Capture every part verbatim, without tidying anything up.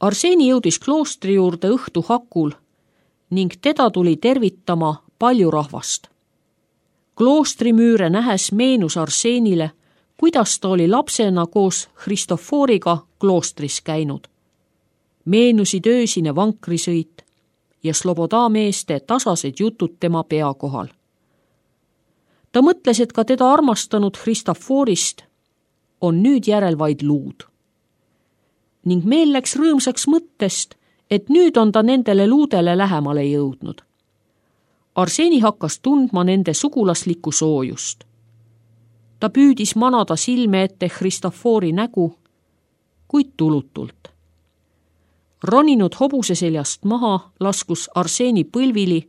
Arseeni jõudis kloostri juurde õhtu hakul ning teda tuli tervitama palju rahvast. Kloostrimüüre nähes meenus Arseenile, kuidas ta oli lapsena koos Christoforiga kloostris käinud. Meenusid öösine vankrisõit ja Sloboda meeste tasased jutud tema pea kohal. Ta mõtles, et ka teda armastanud Christoforist on nüüd järel vaid luud. Ning meel läks rõõmsaks mõttest, et nüüd on ta nendele luudele lähemale jõudnud. Arseeni hakkas tundma nende sugulaslikku soojust. Ta püüdis manada silme ette Christofori nägu, kuid tulutult. Roninud hobuse seljast maha laskus Arseeni põlvili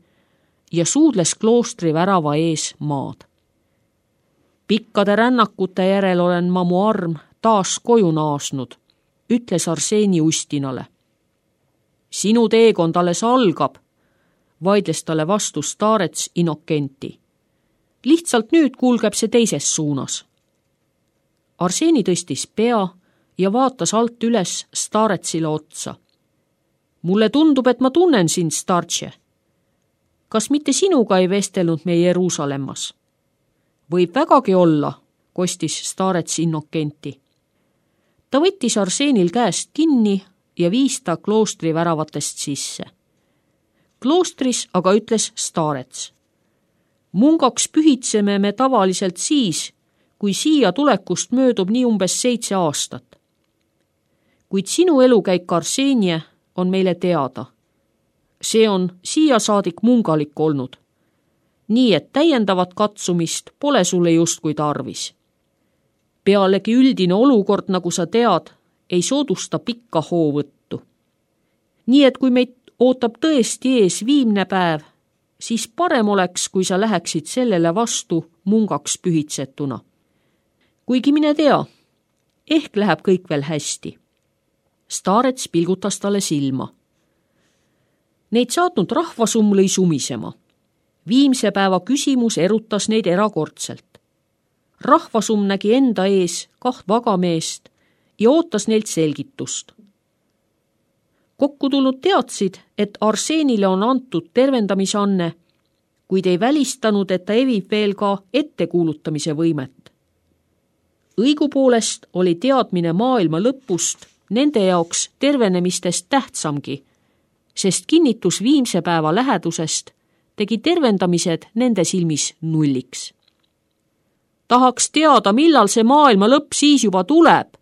ja suudles kloostri värava ees maad. Pikkade rännakute järel olen ma mu arm taas koju naasnud, ütles Arseeni ustinale. Sinu teekond alles algab, vaidles talle vastu Starets Innokenti. Lihtsalt nüüd kulgeb see teises suunas. Arseeni tõstis pea ja vaatas alt üles Staretsile otsa. Mulle tundub, et ma tunnen sind, Startše. Kas mitte sinuga ei vestelnud me Jeruusalemmas? Võib vägagi olla, kostis Starets Innokenti. Ta võttis Arseenil käest kinni ja viis ta kloostri väravatest sisse. Kloostris aga ütles Starets. Mungaks pühitseme me tavaliselt siis, kui siia tulekust möödub nii umbes seitse aastat. Kuid sinu elukäik Arseenie on meile teada. See on siia saadik mungalik olnud. Nii et täiendavat katsumist pole sulle justkui tarvis. Pealegi üldine olukord, nagu sa tead, ei soodusta pikka hoovõttu. Nii et kui meid ootab tõesti ees viimne päev, siis parem oleks, kui sa läheksid sellele vastu mungaks pühitsetuna. Kuigi mine tea, ehk läheb kõik veel hästi. Starets pilgutas talle silma. Neid saatnud rahvasumm lõi sumisema. Viimse päeva küsimus erutas neid erakordselt. Rahvasumm nägi enda ees kaht vagameest ja ootas neilt selgitust. Kokku tulnud teadsid, et Arseenile on antud tervendamisanne, kuid ei välistanud, et ta evib veel ka ettekuulutamise võimet. Õigupoolest oli teadmine maailma lõpust nende jaoks tervenemistest tähtsamgi, sest kinnitus viimse päeva lähedusest tegi tervendamised nende silmis nulliks. Tahaks teada, millal see maailma lõpp siis juba tuleb,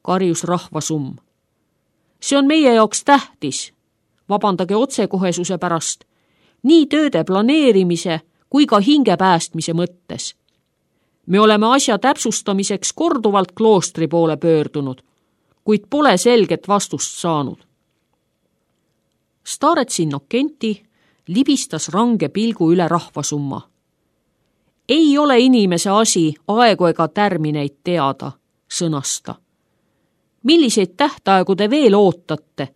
karjus rahvasumm. See on meie jaoks tähtis, vabandage otsekohesuse pärast, nii tööde planeerimise kui ka hinge päästmise mõttes. Me oleme asja täpsustamiseks korduvalt kloostri poole pöördunud, kuid pole selget vastust saanud. Starets Innokenti libistas range pilgu üle rahvasumma. Ei ole inimese asi aegu ega tärmineid teada, sõnas ta. Milliseid tähtaegu te veel ootate,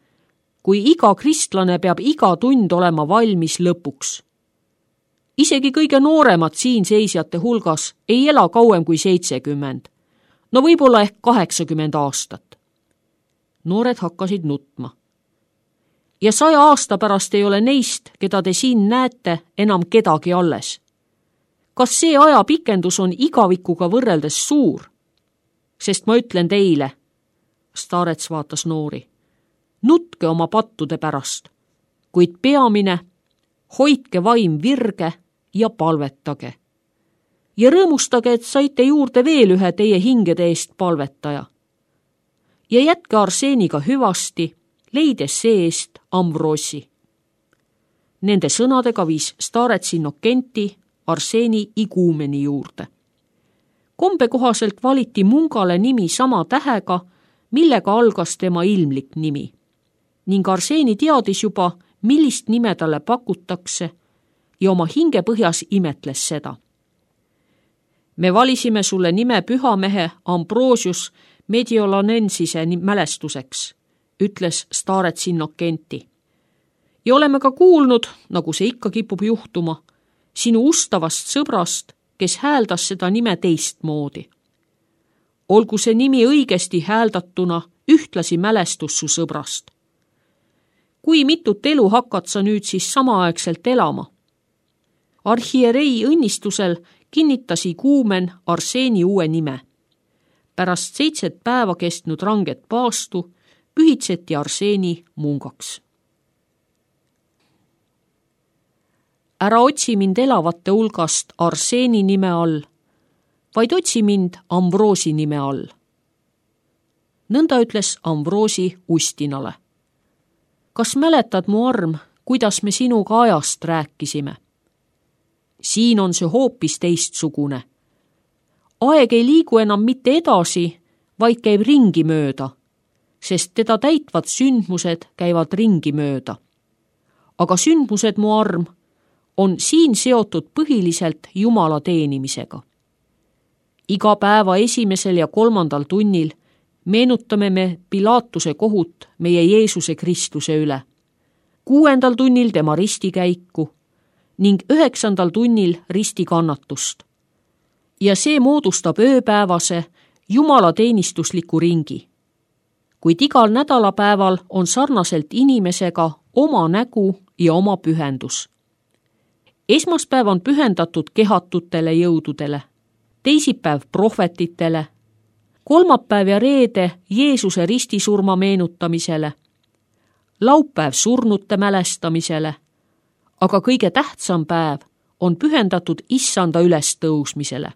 kui iga kristlane peab iga tund olema valmis lõpuks? Isegi kõige nooremad siin seisjate hulgas ei ela kauem kui seitsekümmend, no võib-olla ehk kaheksakümmend aastat. Noored hakkasid nutma. Ja saja aasta pärast ei ole neist, keda te siin näete, enam kedagi alles. Kas see aja pikendus on igavikuga võrreldes suur? Sest ma ütlen teile, Starets vaatas noori, nutke oma pattude pärast, kuid peamine, hoidke vaim virge ja palvetage. Ja rõõmustage, et saite juurde veel ühe teie hingede eest palvetaja. Ja jätke Arseeniga hüvasti, leides see-eest Amvrossi. Nende sõnadega viis Starets Innokenti Arseeni iguumeni juurde. Kombe kohaselt valiti mungale nimi sama tähega, millega algas tema ilmlik nimi. Ning Arseeni teadis juba, millist nime talle pakutakse ja oma hinge põhjas imetles seda. Me valisime sulle nime pühamehe Ambrosius Mediolanensise mälestuseks, ütles Starets Innokenti. Ja oleme ka kuulnud, nagu see ikka kipub juhtuma, sinu ustavast sõbrast, kes hääldas seda nime teistmoodi. Olgu see nimi õigesti hääldatuna ühtlasi mälestus su sõbrast. Kui mitut elu hakkad sa nüüd siis samaaegselt elama? Arhierei õnnistusel kinnitas iguumen Arseeni uue nime. Pärast seitset päeva kestnud ranget paastu pühitseti Arseeni mungaks. Ära otsi mind elavate hulgast Arseeni nime all, vaid otsi mind Amvroosi nime all. Nõnda ütles Amvroosi Ustinale. Kas mäletad, mu arm, kuidas me sinuga ajast rääkisime? Siin on see hoopis teistsugune. Aeg ei liigu enam mitte edasi, vaid käib ringi mööda, sest teda täitvad sündmused käivad ringi mööda. Aga sündmused, mu arm, on siin seotud põhiliselt Jumala teenimisega. Iga päeva esimesel ja kolmandal tunnil meenutame me Pilaatuse kohut meie Jeesuse Kristuse üle, kuuendal tunnil tema ristikäiku ning üheksandal tunnil ristikannatust. Ja see moodustab ööpäevase Jumala teenistusliku ringi. Kuid igal nädalapäeval on sarnaselt inimesega oma nägu ja oma pühendus. Esmaspäev on pühendatud kehatutele jõududele, teisipäev prohvetitele, kolmapäev ja reede Jeesuse ristisurma meenutamisele, laupäev surnute mälestamisele, aga kõige tähtsam päev on pühendatud issanda ülestõusmisele.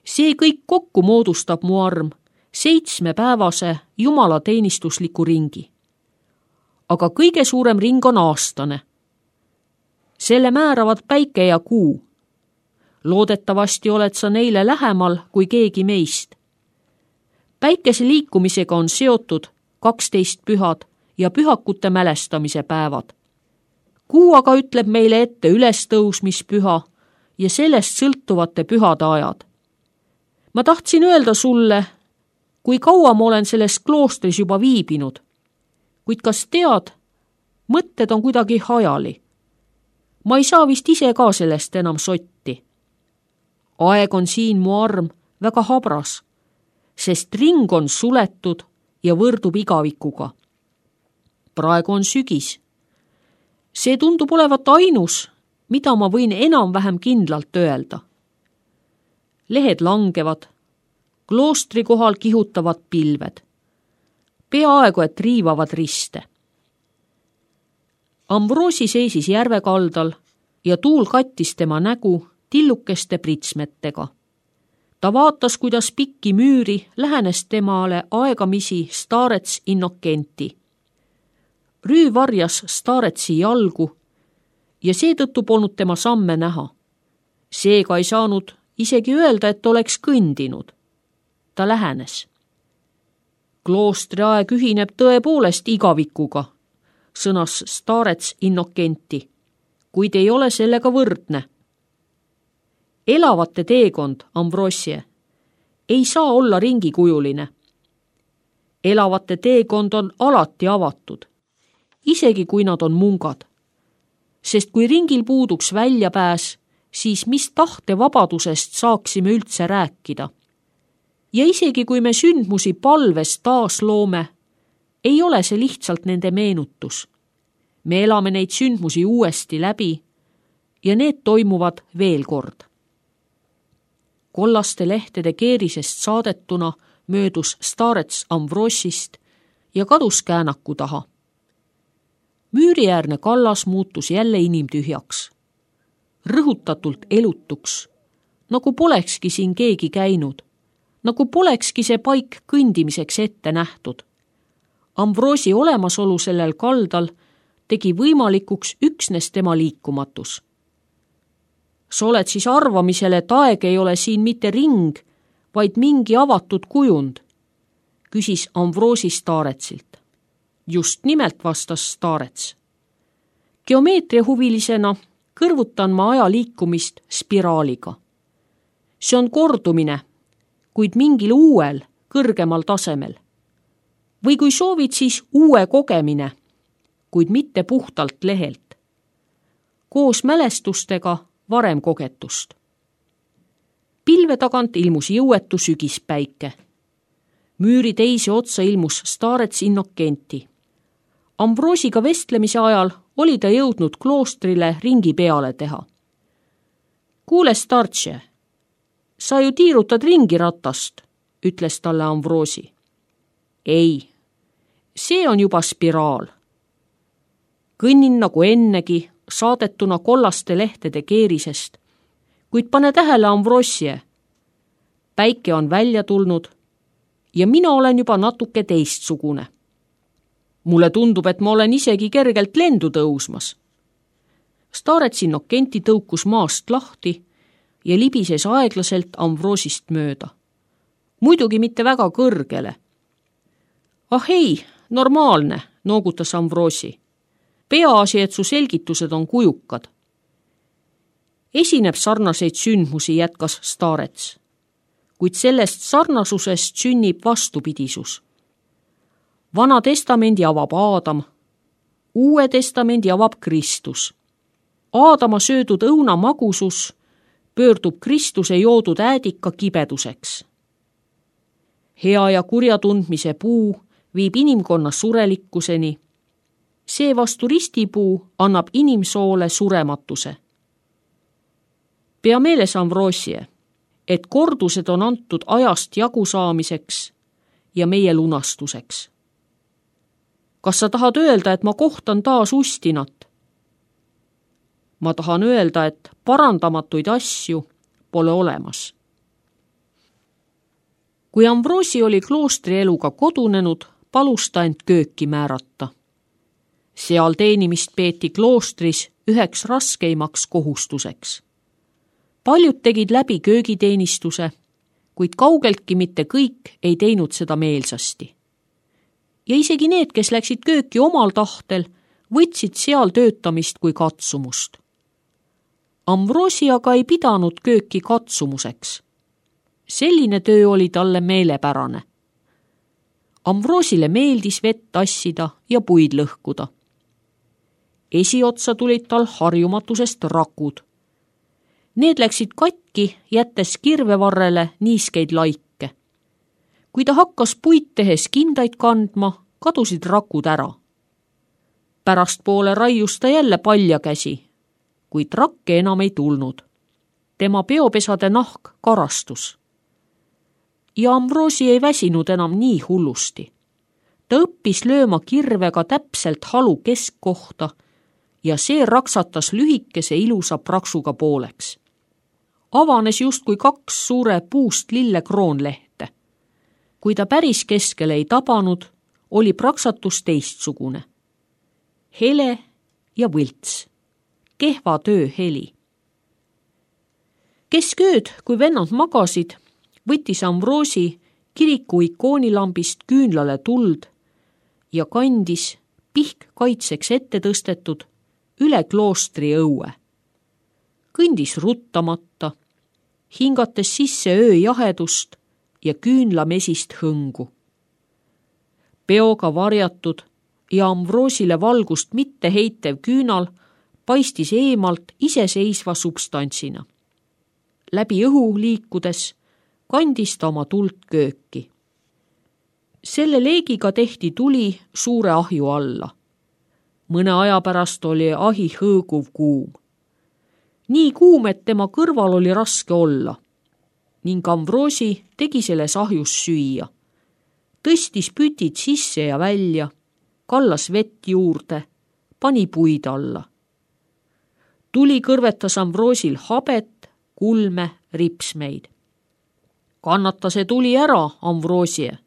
See kõik kokku moodustab, mu arm, seitsmepäevase Jumala teenistusliku ringi. Aga kõige suurem ring on aastane. Selle määravad päike ja kuu. Loodetavasti oled sa neile lähemal kui keegi meist. Päikese liikumisega on seotud kaksteist pühad ja pühakute mälestamise päevad. Kuu aga ütleb meile ette ülestõusmispüha ja sellest sõltuvate pühade ajad. Ma tahtsin öelda sulle, kui kaua ma olen selles kloostris juba viibinud, kuid kas tead, mõtted on kuidagi hajali. Ma ei saa vist ise ka sellest enam sotti. Aeg on siin, mu arm, väga habras, sest ring on suletud ja võrdub igavikuga. Praegu on sügis. See tundub olevat ainus, mida ma võin enam-vähem kindlalt öelda. Lehed langevad, kloostri kohal kihutavad pilved. Peaaegu et riivavad riste. Amvroosi seisis järve kaldal ja tuul kattis tema nägu tillukeste pritsmetega. Ta vaatas, kuidas pikki müüri lähenes temale aegamisi staarets Innokenti. Rüü varjas staaretsi jalgu ja seetõttu polnud tema samme näha. Seega ei saanud isegi öelda, et oleks kõndinud. Ta lähenes. Kloostri aeg ühineb tõepoolest igavikuga, sõnas staarets Innokenti, kuid ei ole sellega võrdne. Elavate teekond, Ambrosie, ei saa olla ringikujuline. Elavate teekond on alati avatud, isegi kui nad on mungad. Sest kui ringil puuduks väljapääs, siis mis tahte vabadusest saaksime üldse rääkida? Ja isegi kui me sündmusi palves taas loome, ei ole see lihtsalt nende meenutus. Me elame neid sündmusi uuesti läbi ja need toimuvad veel kord. Kollaste lehtede keerisest saadetuna möödus staarets Amvrosist ja kadus käänaku taha. Müüriäärne kallas muutus jälle inimtühjaks, rõhutatult elutuks, nagu polekski siin keegi käinud, nagu polekski see paik kõndimiseks ette nähtud. Amvroosi olemasolu sellel kaldal tegi võimalikuks üksnes tema liikumatus. Sa oled siis arvamisel, et aeg ei ole siin mitte ring, vaid mingi avatud kujund, küsis Amvroosi staaretsilt. Just nimelt, vastas staarets. Geomeetriahuvilisena kõrvutan ma aja liikumist spiraaliga. See on kordumine, kuid mingil uuel, kõrgemal tasemel. Või kui soovid, siis uue kogemine, kuid mitte puhtalt lehelt. Koos mälestustega varem kogetust. Pilve tagant ilmus jõuetu sügispäike. Müüri teise otsa ilmus staarets Innokenti. Ambroosiga vestlemise ajal oli ta jõudnud kloostrile ringi peale teha. Kuule, startše, sa ju tiirutad ringi ratast, ütles talle Ambroosi. Ei, see on juba spiraal. Kõnnin nagu ennegi, saadetuna kollaste lehtede keerisest, kuid pane tähele, Ambroosie. Päike on välja tulnud ja mina olen juba natuke teistsugune. Mulle tundub, et ma olen isegi kergelt lendu tõusmas. Staarets Innokenti tõukus maast lahti ja libises aeglaselt Ambroosist mööda. Muidugi mitte väga kõrgele. Ah ei, normaalne, noogutas Ambroosi. Peaasi, et su selgitused on kujukad. Esineb sarnaseid sündmusi, jätkas staarets, kuid sellest sarnasusest sünnib vastupidisus. Vana testamendi avab Aadam, uue testamendi avab Kristus. Aadama söödud õuna magusus pöördub Kristuse joodud äädika kibeduseks. Hea ja kurja tundmise puu viib inimkonna surelikkuseni. See vastu ristipuu annab inimsoole surematuse. Pea meeles, Ambroosie, et kordused on antud ajast jagu saamiseks ja meie lunastuseks. Kas sa tahad öelda, et ma kohtan taas Ustinat? Ma tahan öelda, et parandamatuid asju pole olemas. Kui Ambroosi oli kloostri eluga kodunenud, palus ta end kööki määrata. Seal teenimist peeti kloostris üheks raskeimaks kohustuseks. Paljud tegid läbi köögiteenistuse, kuid kaugeltki mitte kõik ei teinud seda meelsasti. Ja isegi need, kes läksid kööki omal tahtel, võtsid seal töötamist kui katsumust. Ambroosi aga ei pidanud kööki katsumuseks. Selline töö oli talle meelepärane. Ambroosile meeldis vett tassida ja puid lõhkuda. Esiotsa tulid tal harjumatusest rakud. Need läksid katki, jättes kirvevarrele niiskeid laike. Kui ta hakkas puid tehes kindaid kandma, kadusid rakud ära. Pärast poole raius ta jälle palja käsi, kuid rakke enam ei tulnud. Tema peopesade nahk karastus. Ja Ambroosi ei väsinud enam nii hullusti. Ta õppis lööma kirvega täpselt halu keskkohta ja see raksatas lühikese ilusa praksuga pooleks. Avanes justkui kaks suure puust lille kroonlehte. Kui ta päris keskele ei tabanud, oli praksatus teistsugune. Hele ja võlts. Kehva töö heli. Keskööd, kui vennad magasid, võttis Ambroosi kiriku ikoonilambist küünlale tuld ja kandis pihk kaitseks ette tõstetud üle kloostri õue. Kõndis ruttamata, hingates sisse öö jahedust ja küünlamesist hõngu. Peoga varjatud ja Ambroosile valgust mitte heitev küünal paistis eemalt iseseisva substantsina. Läbi õhu liikudes kandis ta oma tuld kööki. Selle leegiga tehti tuli suure ahju alla. Mõne aja pärast oli ahi hõõguv kuum. Nii kuum, et tema kõrval oli raske olla. Ning Ambroosi tegi selles ahjus süüa. Tõstis pütid sisse ja välja, kallas vett juurde, pani puid alla. Tuli kõrvetas Ambroosil habet, kulme, ripsmeid. Kannata see tuli ära, Ambroosie,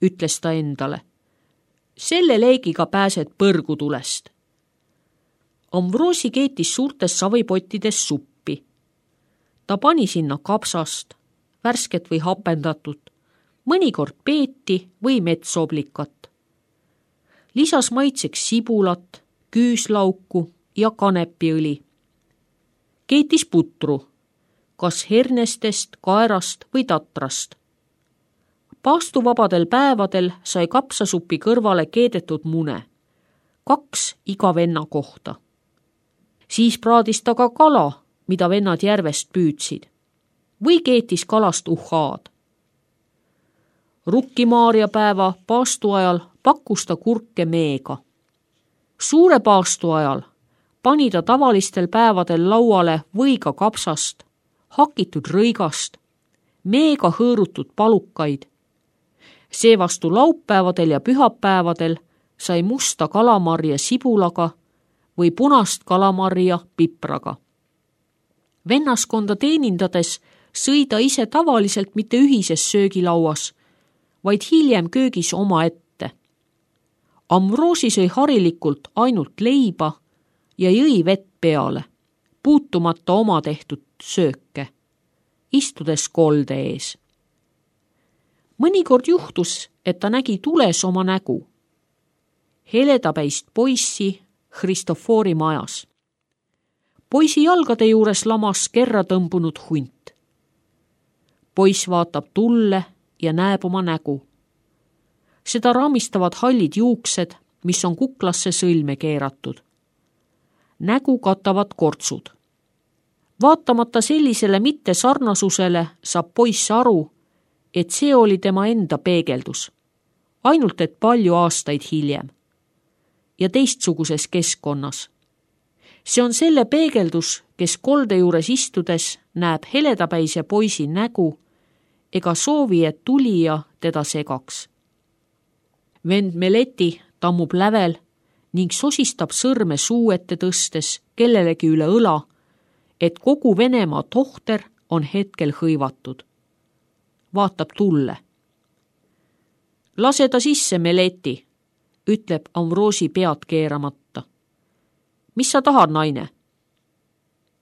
ütles ta endale. Selle leegiga pääsed põrgutulest. Ambroosi keetis suurtes savipottides suppi. Ta pani sinna kapsast, värsket või hapendatut, mõnikord peeti või metsoblikat. Lisas maitseks sibulat, küüslauku ja kanepiõli. Keetis putru, kas hernestest, kaerast või tatrast. Paastuvabadel päevadel sai kapsasupi kõrvale keedetud mune, kaks iga venna kohta. Siis praadis ta ka kala, mida vennad järvest püüdsid, või keetis kalast uhhaad. Rukkimaarjapäeva paastu ajal pakkus ta kurke meega. Suure paastu ajal pani ta tavalistel päevadel lauale võiga kapsast, hakitud rõigast, meega hõõrutud palukaid. Seevastu laupäevadel ja pühapäevadel sai musta kalamarja sibulaga või punast kalamarja pipraga. Vennaskonda teenindades sõi ta ise tavaliselt mitte ühises söögilauas, vaid hiljem köögis oma ette. Amvroosi sõi harilikult ainult leiba ja jõi vett peale, puutumata oma tehtud sööke, istudes kolde ees. Mõnikord juhtus, et ta nägi tules oma nägu. Heledapäist poissi Christofori majas. Poisi jalgade juures lamas kerra tõmbunud hunt. Poiss vaatab tulle ja näeb oma nägu. Seda raamistavad hallid juuksed, mis on kuklasse sõlme keeratud. Nägu katavad kortsud. Vaatamata sellisele mitte sarnasusele saab poiss aru, et see oli tema enda peegeldus, ainult et palju aastaid hiljem ja teistsuguses keskkonnas. See on selle peegeldus, kes kolde juures istudes näeb heledapäise poisi nägu ega soovi, et tulija teda segaks. Vend Meleti tammub lävel ning sosistab sõrme suu ette tõstes kellelegi üle õla, et kogu Venemaa tohter on hetkel hõivatud. Vaatab tulle. Lase ta sisse, Meleti, ütleb Amvroosi pead keeramata. Mis sa tahad, naine?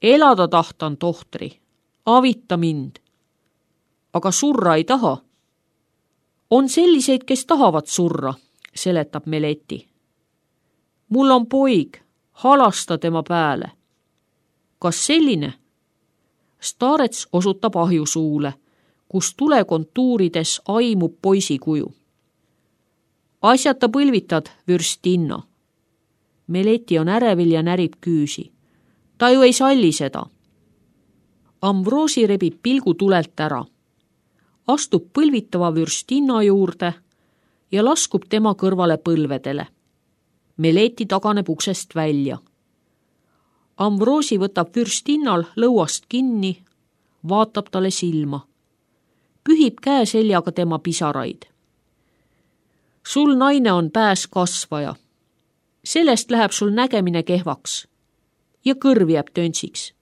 Elada tahtan, tohtri, avita mind. Aga surra ei taha. On selliseid, kes tahavad surra, seletab Meleti. Mul on poig, halasta tema pääle. Kas selline? Staarets osutab ahjusuule, kus tule kontuurides aimub poisi kuju. Asjata põlvitad, Vürstinna. Meleti on ärevil ja närib küüsi. Ta ju ei salli seda. Amvroosi rebib pilgu tulelt ära. Astub põlvitava Vürstinna juurde ja laskub tema kõrvale põlvedele. Meleti taganeb uksest välja. Amvroosi võtab Vürstinnal lõuast kinni, vaatab talle silma. Pühib käe seljaga tema pisaraid. Sul, naine, on pääs kasvaja. Sellest läheb sul nägemine kehvaks ja kõrv jääb töntsiks.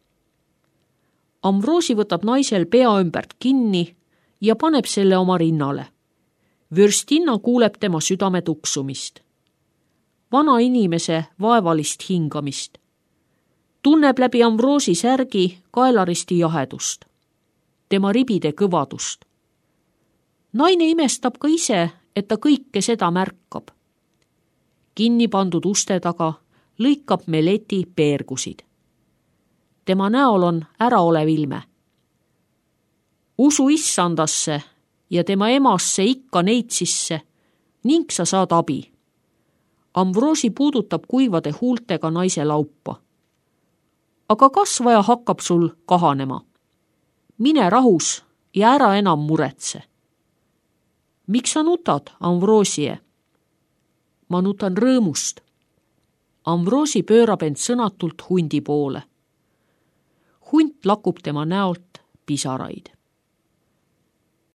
Amvroosi võtab naisel pea ümbert kinni ja paneb selle oma rinnale. Vürstinna kuuleb tema südame tuksumist. Vana inimese vaevalist hingamist. Tunneb läbi Amvroosi särgi kaelaristi jahedust. Tema ribide kõvadust. Naine imestab ka ise, et ta kõike seda märkab. Kinni pandud uste taga lõikab Meleti peergusid. Tema näol on äraolev ilme. Usu issandasse ja tema emasse ikka neitsisse ning sa saad abi. Amvroosi puudutab kuivade huultega naise laupa. Aga kasvaja hakkab sul kahanema. Mine rahus ja ära enam muretse. Miks sa nutad, Amvroosie? Ma nutan rõõmust. Amvroosi pöörab end sõnatult hundi poole. Hunt lakub tema näolt pisaraid.